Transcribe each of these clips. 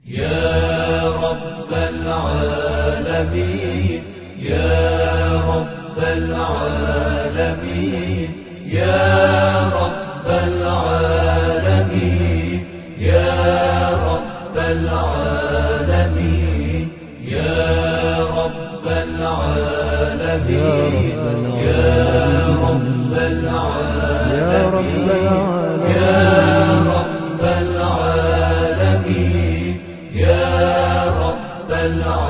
يا رب العالمين يا رب العالمين يا رب العالمين يا رب العالمين يا رب العالمين يا رب العالمين يا رب العالمين يا رب العالمين.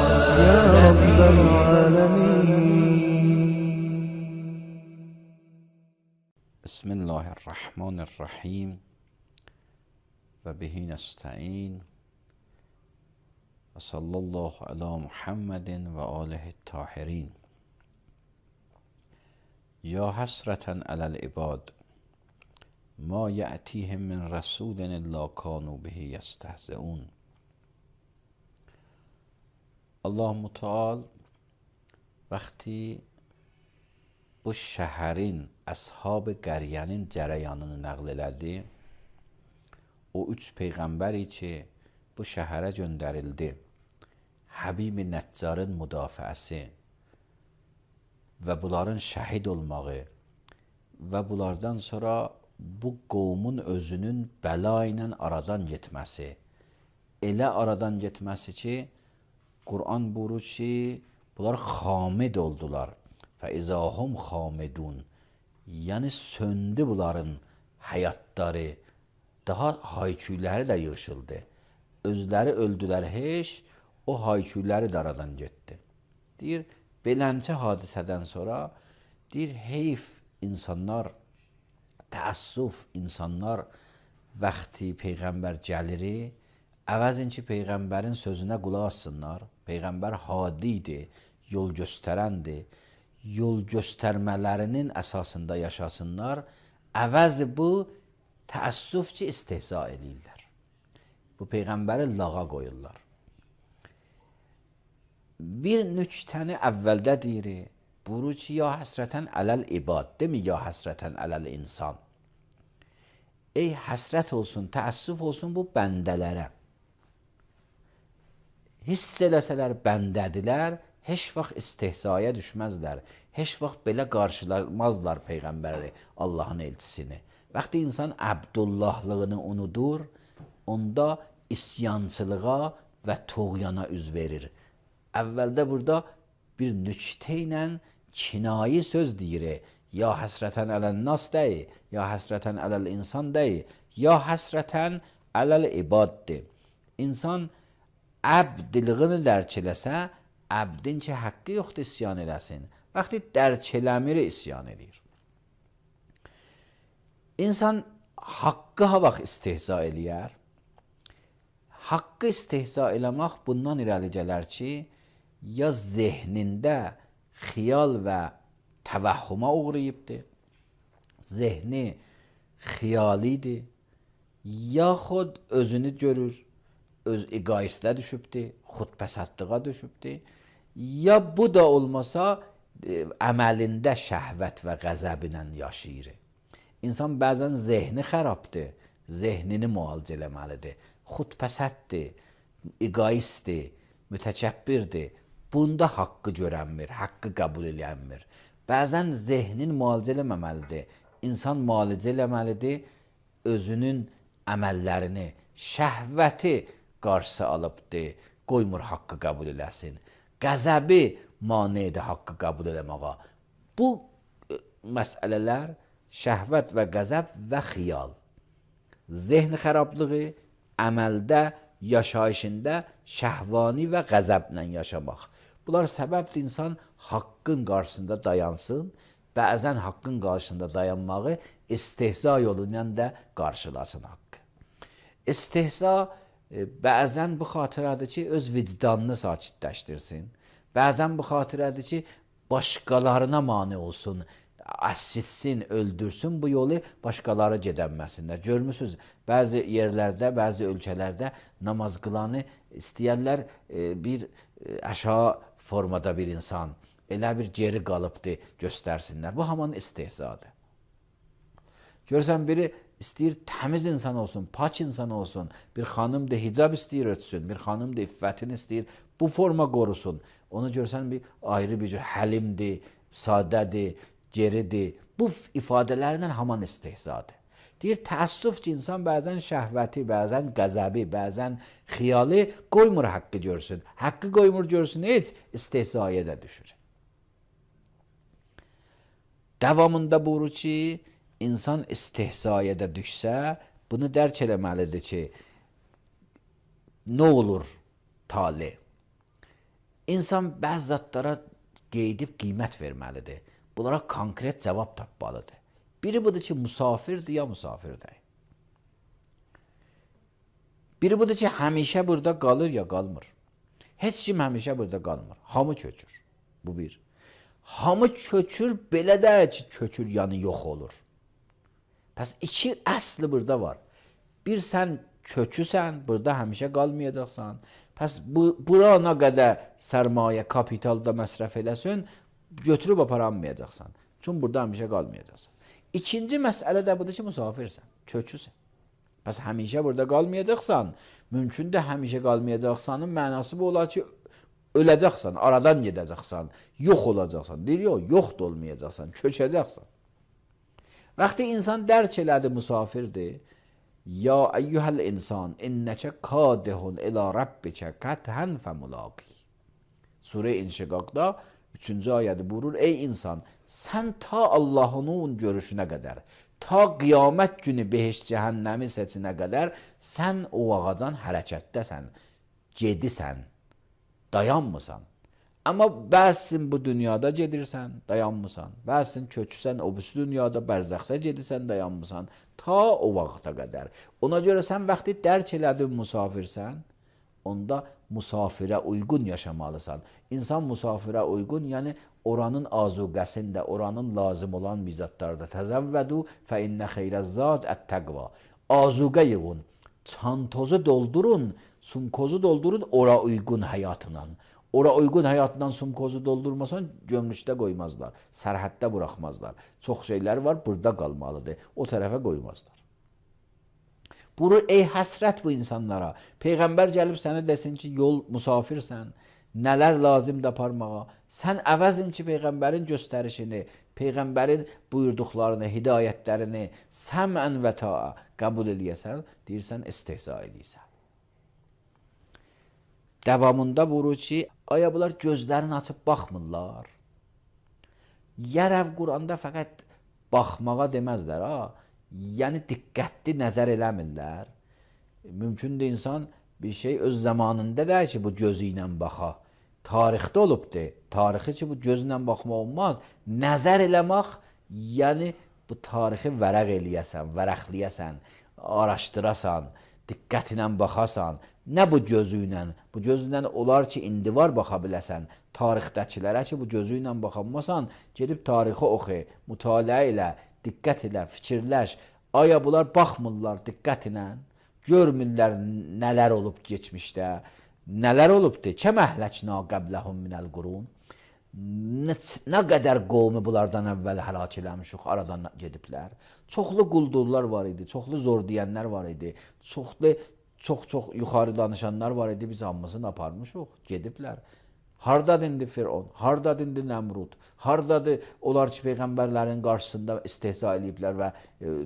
بسم الله الرحمن الرحیم و به نستعین و صلی الله علی محمد و آله الطاهرین. یا حسرة علی العباد ما یأتیهم من رسول الا کانوا به یستهزئون. Allah Müteal vaqti bu şəhərin, əshab-ı qəriyyənin cərəyanını nəql elədi. O üç peyğəmbəri ki, bu şəhərə göndərildi. Həbib-i Nəccarın müdafiəsi və bunların şəhid olmağı və bunlardan sonra bu qovmun özünün bəla ilə aradan getməsi. Elə aradan getməsi ki, Kur'an buyurur ki, bunlar xamid oldular. Fəizahum xamidun. Yəni söndü bunların həyatları. Daha hayküyləri də yığışıldı. Özləri öldülər heç, o hayküyləri də aradan getdi. Deyir, beləncə hadisədən sonra, deyir, heyf insanlar, təəssüf insanlar vaxti Peyğəmbər gəliri, əvəzin ki, Peyğəmbərin sözünə qulaq assınlar. Peyğəmbər hadidir, yol göstərəndir. Yol göstərmələrinin əsasında yaşasınlar. Əvəzi bu, təəssüf ki, istehza edirlər. Bu Peyğəmbəri lağa qoyurlar. Bir nüktəni əvvəldə deyir, buyurur ki, ya həsrətən ələl ibad, demi ya həsrətən ələl insan. Ey həsrət olsun, təəssüf olsun bu bəndələrə. Hiss eləsələr bəndədilər, heç vaxt istehzaya düşməzlər. Heç vaxt belə qarşılamazlar Peyğəmbəri, Allahın elçisini. Vaxtı insan Əbdullahlığını unudur, onda isyançılığa və toğyana üz verir. Əvvəldə burada bir nüktə ilə kinayi söz deyir. Ya həsrətən ələl nas deyi, ya həsrətən ələl insan deyi, ya həsrətən ələl ibaddir. İnsan əbdilığını dərk eləsə, əbdin ki, haqqı yoxdur isyan eləsin. Vaxtı dərk eləmir, isyan edir. İnsan haqqı ha vaxt istehza eləyər. Haqqı istehza eləmək bundan irəli gələr ki, ya zehnində xiyal və təvəhhüma uğrayıbdır, zehni xiyalidir, yaxud özünü görür, öz egoistlə düşübdür, xudpəsəddlığa düşübdür, ya bu da olmasa əməlində şəhvət və qəzəblə yaşayır. İnsan bəzən zehni xərabdır, zehnini müalicə eləməlidir, xudpəsəddir, egoistdir, mütəkəbbirdir. Bunda haqqı görənmir, haqqı qəbul eləyənmir. Bəzən zehnin müalicə eləməməlidir. İnsan müalicə eləməlidir, özünün əməllərini, şəhvəti qarşısı alıbdır, qoymur haqqı qəbul eləsin. Qəzəbi manidir haqqı qəbul eləməğa. Bu məsələlər şəhvət və qəzəb və xiyal. Zehni xərablığı, əməldə, yaşayışında şəhvani və qəzəblə yaşamaq. Bunlar səbəbdir insan haqqın qarşısında dayansın, bəzən haqqın qarşısında dayanmağı istehza yolu ilə də qarşılasın haqqı. İstehza bəzən bu xatirədir ki, öz vicdanını sakitləşdirsin. Bəzən bu xatirədir ki, başqalarına mane olsun, əsitsin, öldürsün, bu yolu başqaları gedənməsinlər. Görmüsünüz, bəzi yerlərdə, bəzi ölkələrdə namaz qılanı istəyərlər bir aşağı formada bir insan, elə bir geri qalıbdır göstərsinlər. Bu haman istehzadır. Görsən biri istəyir təmiz insan olsun, pak insan olsun. Bir xanım da hicab istəyir ötsün, bir xanım da iffətini istəyir bu forma qorusun. Onu görsən bir ayrı bir cür həlimdir, sadədir, geridir. Bu ifadələrlə haman istehzadır. Deyir, təəssüf ki, insan bəzən şəhvəti, bəzən qəzəbi, bəzən xiyalı qoymur haqqı görsün. Haqqı qoymur görsün, heç istehzaya da düşür. Davamında buyurur ki, insan istehzaya da düşsə, bunu dərk eləməlidir ki, nə olur tali? İnsan bəzi zatlara qeydib qiymət verməlidir. Bunlara konkret cavab tapmalıdır. Biri budur ki, musafirdir ya musafirdir. Biri budur ki, həmişə burada qalır ya qalmır. Heç kim həmişə burada qalmır. Hamı köçür. Bu bir. Hamı köçür, belə də ki, köçür yanı yox olur. Pəs iki əsli burada var. Bir sən köçüsən, burada həmişə qalmayacaqsan. Pəs bura nə qədər sərmayə, kapitalda məsrəf eləsin, götürüb aparanmayacaqsan. Çünki burada həmişə qalmayacaqsan. İkinci məsələ də budur ki, musafirsən, köçüsən. Pəs həmişə burada qalmayacaqsan, mümkün də həmişə qalmayacaqsanın mənası bu olar ki, öləcəksən, aradan gedəcəksən, yox olacaqsan. Deyir, yox da olmayacaqsan, köçəcəksən. Vaxtı insan dərk elədi, musafirdir. Ya eyyuhəl insan, innəkə kadihun ilə rabbikə qətən fəmulaqi. Surə İnşiqaqda 3-cü ayədə buyurur, ey insan, sən ta Allah'ın görüşünə qədər, ta qiyamət günü behişt cəhənnəmi seçinə qədər sən o ağacan hərəkətdəsən, gedisən, dayanmısan. Amma bəzsin bu dünyada gedirsən, dayanmısan. Bəzsin köçüsən, o birisi dünyada bərzəxdə gedirsən, dayanmısan. Ta o vaxta qədər. Ona görə sən vaxtı dərk elədin musafirsən, onda musafirə uyğun yaşamalısan. İnsan musafirə uyğun, yəni oranın azuqəsində, oranın lazım olan mizatlarda təzəvvədu fə innə xeyrəzzad ət-təqva. Azuqə yığın, çantozu doldurun, sumkozu doldurun ora uyğun həyatla. Ora uyğun həyatından sumkozu doldurmasan gömrükdə qoymazlar, sərhəddə buraxmazlar. Çox şeylər var, burada qalmalıdır, o tərəfə qoymazlar. Buyurur, ey həsrət bu insanlara. Peyğəmbər gəlib sənə desin ki, yol musafirsən, nələr lazımdır aparmağa. Sən əvəzin ki, Peyğəmbərin göstərişini, Peyğəmbərin buyurduqlarını, hidayətlərini səmən və ta'a qəbul eləyəsən, deyirsən, istehza eləyəsən. Davamında buyurur ki, aya bunlar gözlərini açıb baxmırlar. Yərəv Quranda fəqət baxmağa deməzlər, ha. Yəni diqqətli nəzər eləmirlər. Mümkündür insan bir şey öz zamanında da ki, bu gözü ilə baxa. Tarixdə olubdur. Tarixi ki, bu gözlə baxmaq olmaz. Nəzər eləmək, yəni bu tarixi vərəq eləyəsən, vərəqləyəsən, araşdırasan, diqqətlə baxasan. Nə bu gözü ilə? Bu gözü ilə olar ki, indi var baxa biləsən. Tarixdəkilərə ki, bu gözü ilə baxamasan, gedib tarixi oxu, mütaliə elə, diqqət elə, fikirləş. Aya bunlar baxmırlar diqqət ilə, görmürlər nələr olub geçmişdə, nələr olubdur. Kəm əhləknə qəbləhum minəl qurun. Nə qədər qovmu bunlardan əvvəl həlak eləmişik, aradan gediblər. Çoxlu quldurlar var idi, çoxlu zor deyənlər var idi, çox yuxarı danışanlar var idi, biz hamısını aparmışıq, gediblər. Hardadır indi Firon, hardadır indi Nəmrud, hardadır onlar ki, Peyğəmbərlərin qarşısında istehza eləyiblər və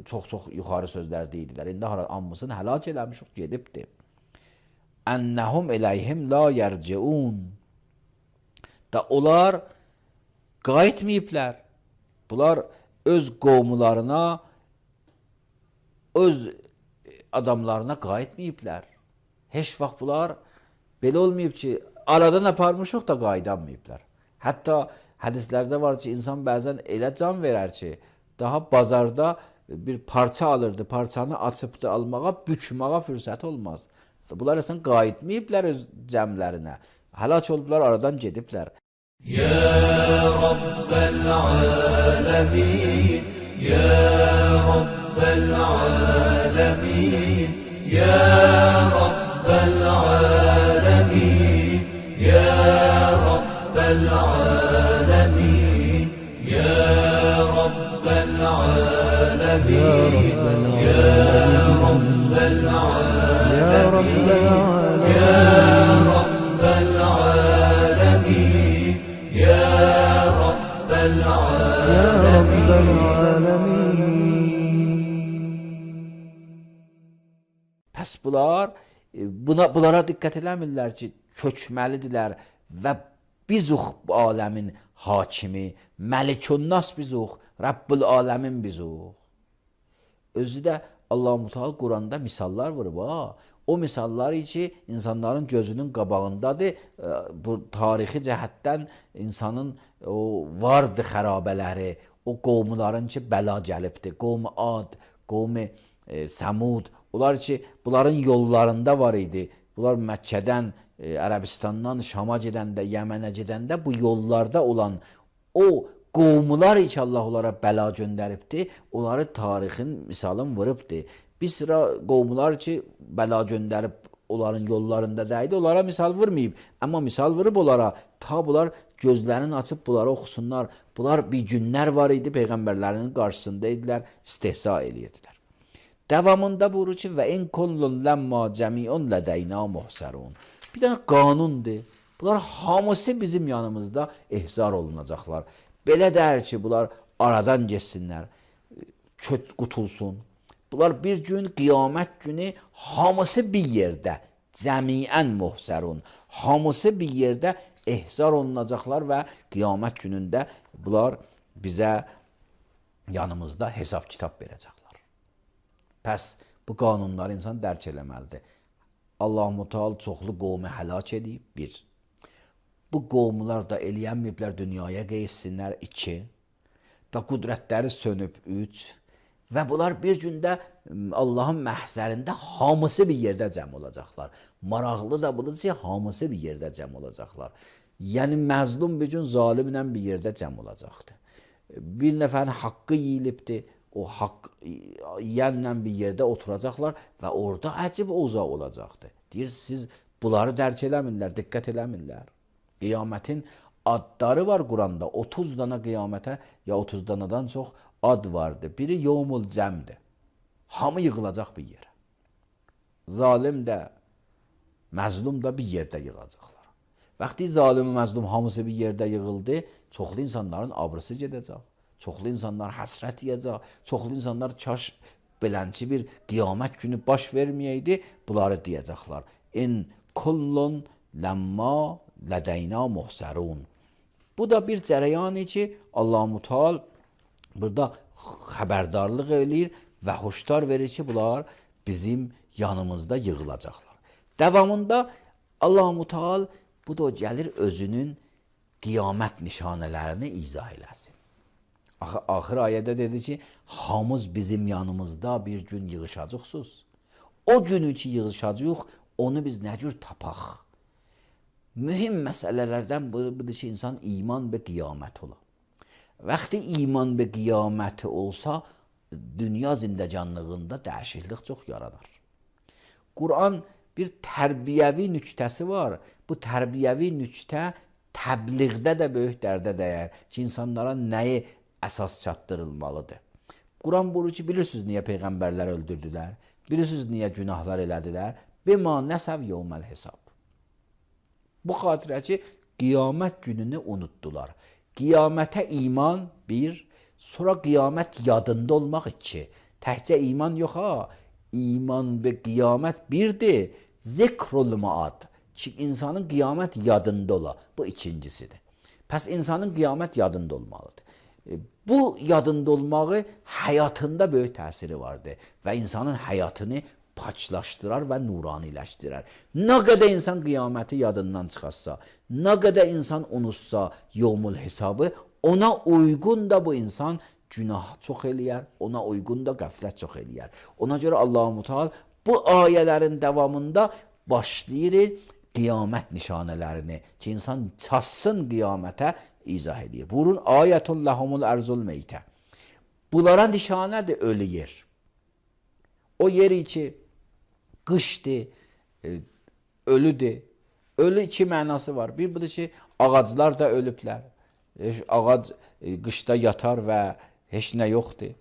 çox yuxarı sözlər deyildilər. İndi hamısını həlak eləmişik, gedibdir. Ennəhum eləyhim la yərciun. Da onlar qayıtmayıblər. Bunlar öz qovmularına, öz adamlarına qayıtmayıblər. Heç vaxt bunlar belə olmayıb ki, aradan aparmışıq da qayıdanmayıblar. Hətta hədislərdə var ki, insan bəzən elə can verər ki, daha bazarda bir parça alırdı, parçanı açıb da almağa, bükməğa fürsət olmaz. Bunlar əsən qayıtmayıblar öz cəmlərinə. Həlak olublar, aradan gediblər. Ya Rabbel alemin, Ya Rabbel alemin, Ya Rabbel alemin, Ya Rabbel alemin, Ya Rabbel alemin, Ya رب العالمين يا رب العالمين يا رب العالمين يا رب العالمين. Pəs bunlara diqqət eləmirlər ki, köçməlidirlər və bizuq bu aləmin hakimi, Məlikünnas bizuq, Rəbbül aləmin bizuq. Özü də Allah-u Teala Quranda misallar vurub ha. O misallar ki, insanların gözünün qabağındadır. Bu tarixi cəhətdən insanın o vardı xərabələri, o qovmuların ki, bəla gəlibdir. Qovmu Ad, qovmu Səmud, onlar ki, bunların yollarında var idi. Bunlar Məkkədən, Ərəbistandan Şama gedəndə, Yəmənə gedəndə bu yollarda olan o qovmular ki, Allah onlara bəla göndəribdir, onları tarixin misalın vurubdur. Bir sıra qovmular ki, bəla göndərib onların yollarında dəydi, onlara misal vurmayıb. Amma misal vurub onlara, ta bunlar gözlərini açıb bunları oxusunlar. Bunlar bir günlər var idi, Peyğəmbərlərinin qarşısında idilər, istehza edirdilər. Davamında buyurur ki, və in kullun ləmma cəmiun lədəyna muhsərun. Bir dənə qanundur. Bunlar hamısı bizim yanımızda ehzar olunacaqlar. Belə dər ki, bunlar aradan geçsinlər, qutulsun. Bunlar bir gün, qiyamət günü hamısı bir yerdə, cəmiən muhsərun, hamısı bir yerdə ehzar olunacaqlar və qiyamət günündə bunlar bizə yanımızda hesab kitab verəcəklər. Pəs bu qanunları insan dərk eləməlidir. Allah-u Teala çoxlu qovmu həlak edib, bir. Bu qovmular da eləyənməyiblər dünyaya qeysinlər, 2. Da qüdrətləri sönüb, 3. Və bunlar bir gündə Allahın məhzərində hamısı bir yerdə cəm olacaqlar. Maraqlı da budur ki, hamısı bir yerdə cəm olacaqlar. Yəni məzlum bir gün zalimlə bir yerdə cəm olacaqdır. Bir nəfərin haqqı yeyilibdir, o haqq yiyənlə bir yerdə oturacaqlar və orada əcib uzaq olacaqdır. Deyir, siz bunları dərk eləmirlər, diqqət eləmirlər. Qiyamətin adları var Quranda. 30 dana qiyamətə ya 30 danadan çox ad vardır. Biri yevmul cəmdir. Hamı yığılacaq bir yerə. Zalim də, məzlum da bir yerdə yığılacaqlar. Vaxtı zalim, məzlum hamısı bir yerdə yığıldı, çoxlu insanların abrısı gedəcək. Çoxlu insanlar həsrət yiyəcək. Çoxlu insanlar kaş belənçi bir qiyamət günü baş verməyəydi, bunları deyəcəklər. In kullun ləmma lədəyna muhsərun. Bu da bir cərəyanı ki, Allah-u Teala burada xəbərdarlıq eləyir və hoşdar verir ki, bunlar bizim yanımızda yığılacaqlar. Davamında Allah-u Teala bu da gəlir özünün qiyamət nişanələrini izah eləsin. Axır ayədə dedi ki, hamız bizim yanımızda bir gün yığışacaqsınız. O günü ki yığışacaq, onu biz nə cür tapaq? Mühim məsələlərdən budur ki, insan iman və qiyamət ola. Vaxtı iman və qiyaməti olsa, dünya zindəcanlığında dəyişiklik çox yaranar. Quran bir tərbiyəvi nüktəsi var. Bu tərbiyəvi nüktə təbliğdə də böyük dərdə dəyər ki, insanlara nəyi əsas çatdırılmalıdır. Quran buyurur ki, bilirsiniz niyə peyğəmbərlər öldürdülər? Bilirsiniz niyə günahlar elədilər? Bima nəsəv yevməl hesab. Bu xatirə ki, qiyamət gününü unutdular. Qiyamətə iman 1, sonra qiyamət yadında olmaq 2. Təkcə iman yox ha, iman və qiyamət 1-dir. Zikrul maad ki, insanın qiyamət yadında ola. Bu 2-cisidir. Pəs insanın qiyamət yadında olmalıdır. Bu yadında olmağı həyatında böyük təsiri vardır və insanın həyatını paçlaşdırar və nuraniləşdirar. Nə qədər insan qiyaməti yadından çıxarsa, nə qədər insan unutsa yevmul hesabı, ona uyğun da bu insan günah çox eləyər, ona uyğun da qəflət çox eləyər. Ona görə Allah-u Teala bu ayələrin davamında başlayır qiyamət nişanələrini ki, insan çatsın qiyamətə izah edir. Buyurun, ayətun ləhumul ərzul meytə. Bunlara nişanədir ölü yer. O yeri ki, qışdır, ölüdür. Ölü 2 mənası var. Bir budur ki, ağaclar da ölüblər. Ağac qışda yatar və heç nə yoxdur.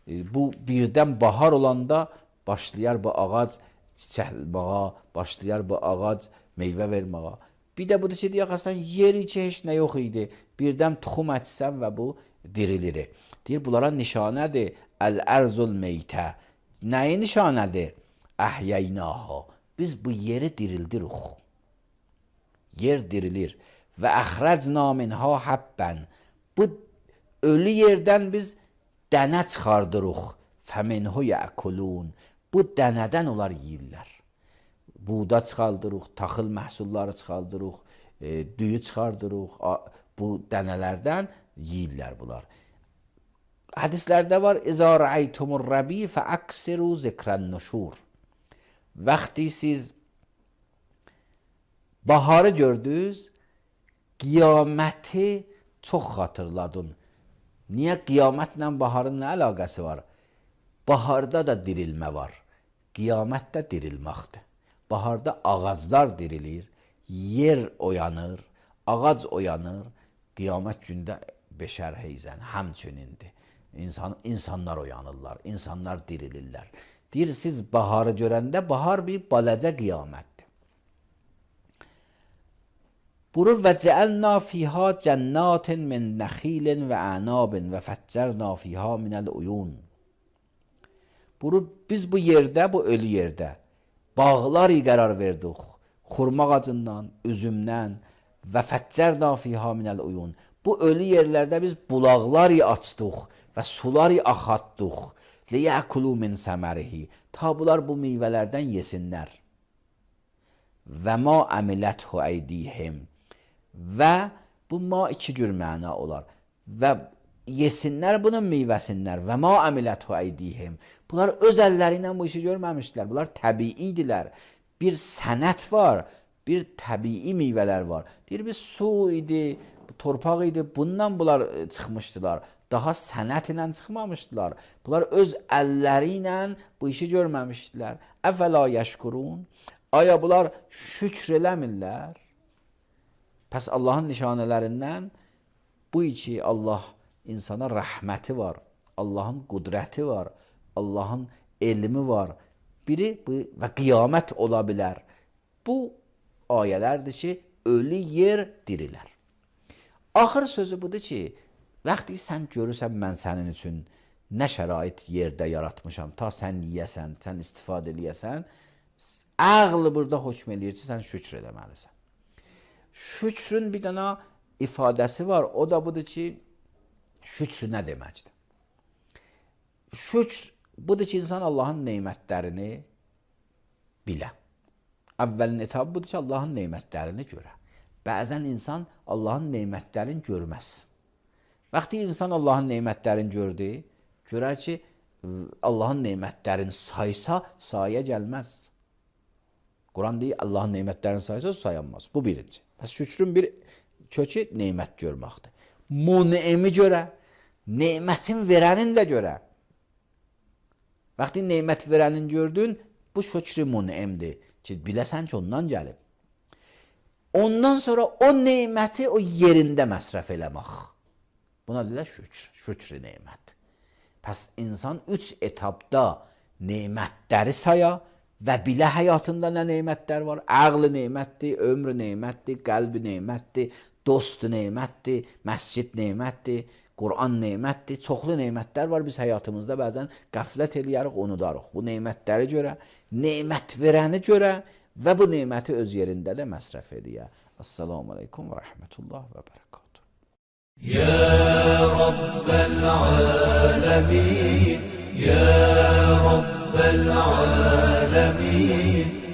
Bu birdən bahar olanda başlayar bu ağac çiçəkləməyə, başlayar bu ağac meyvə verməyə. Bir də budur ki, deyək əslən yeri ki, heç nə yox idi. Birdən tuxum ətsən və bu dirilir. Deyir, bunlara nişanədir. Əl-ərzul meytə. Nəyi nişanədir? Əhyəynaha. Biz bu yeri dirildirik. Yer dirilir. Və əxrəcna minha həbbən. Bu ölü yerdən biz dənə çıxardırıq. Fəminhu yəkulun. Bu dənədən onlar yeyirlər. Buğda çıxardırıq, taxıl məhsulları çıxardırıq, düyü çıxardırıq. Bu dənələrdən yeyirlər bunlar. Hədislərdə var: İzə rəaytumur rəbi fəəksiru zikrən nuşur. Vaxtı siz baharı gördünüz, qiyaməti çox xatırladın. Niyə? Qiyamətlə baharın nə əlaqəsi var? Baharda da dirilmə var. Qiyamətdə dirilməkdir. Baharda ağaclar dirilir, yer oyanır, ağac oyanır. Qiyamət gündə beşər heyzən həmçünindir. İnsanlar oyanırlar, insanlar dirilirlər. Deyir, siz baharı görəndə bahar bir balaca qiyamətdir. Buyurur: və cəəlna fiha cənnatin min nəxilin və ənabin və fəccərna fiha minəl uyun. Buyurur, biz bu yerdə, bu ölü yerdə bağlar qərar verdik. Xurma ağacından, üzümdən və fəccərna fiha minəl uyun. Bu ölü yerlərdə biz bulaqlar açdıq və sular axatdıq. Liyəkulu min səmərihi. Ta bunlar bu meyvələrdən yesinlər. Və ma əmiləthu əydihim. Və bu ma iki cür məna olar. Və yesinlər bunun meyvəsindən. Və ma əmiləthu əydihim. Bunlar öz əlləri ilə bu işi görməmişdilər. Bunlar təbiidirlər. Bir sənət var, bir təbii meyvələr var. Deyir, bir su idi, torpaq idi, bundan bunlar çıxmışdılar. Daha sənət ilə çıxmamışdılar. Bunlar öz əlləri ilə bu işi görməmişdilər. Əfəla yəşkurun. Aya bunlar şükr eləmirlər? Pəs Allahın nişanələrindən bu ki, Allah insana rəhməti var, Allahın qudrəti var, Allahın elmi var. Biri bu və qiyamət ola bilər. Bu ayələrdir ki, ölü yer dirilər. Axır sözü budur ki, vaxtı sən görürsən, mən sənin üçün nə şərait yerdə yaratmışam, ta sən yiyəsən, sən istifadə eləyəsən, ağlı burada hökm eləyir ki, sən şükr eləməlisən. Şükrün bir dənə ifadəsi var, o da budur ki, şükr nə deməkdir? Şükr budur ki, insan Allahın neymətlərini bilə. Əvvəlin etabı budur ki, Allahın neymətlərini görə. Bəzən insan Allahın neymətlərini görməz. Vaxtı insan Allahın neymətlərini gördü, görər ki, Allahın neymətlərini saysa, saya gəlməz. Quran deyir, Allahın neymətlərini saysa, sayanmaz. Bu birinci. Bəs şükrün bir kökü neymət görməkdir. Mun'imi görə, neymətin verənin də görə. Vaxtı neymət verənin gördün, bu şükrü mun'imdir ki, biləsən ki, ondan gəlib. Ondan sonra o neyməti o yerində məsrəf eləmək. Buna deyirlər şükr, şükrü neymət. Pəs insan 3 etapda neymətləri saya və bilə həyatında nə neymətlər var? Ağlı neymətdir, ömrü neymətdir, qəlbi neymətdir, dostu neymətdir, məscid neymətdir, Quran neymətdir, çoxlu neymətlər var. Biz həyatımızda bəzən qəflət eləyərik, unudarıq. Bu neymətləri görə, neymət verəni görə və bu neyməti öz yerində də məsrəf eləyə. Assalamu aleykum və rəhmətullah və bərəkatuhu. يا رب العالمين يا رب العالمين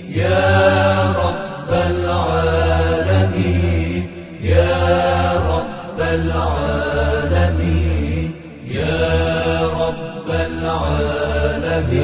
يا رب العالمين يا رب العالمين يا رب العالمين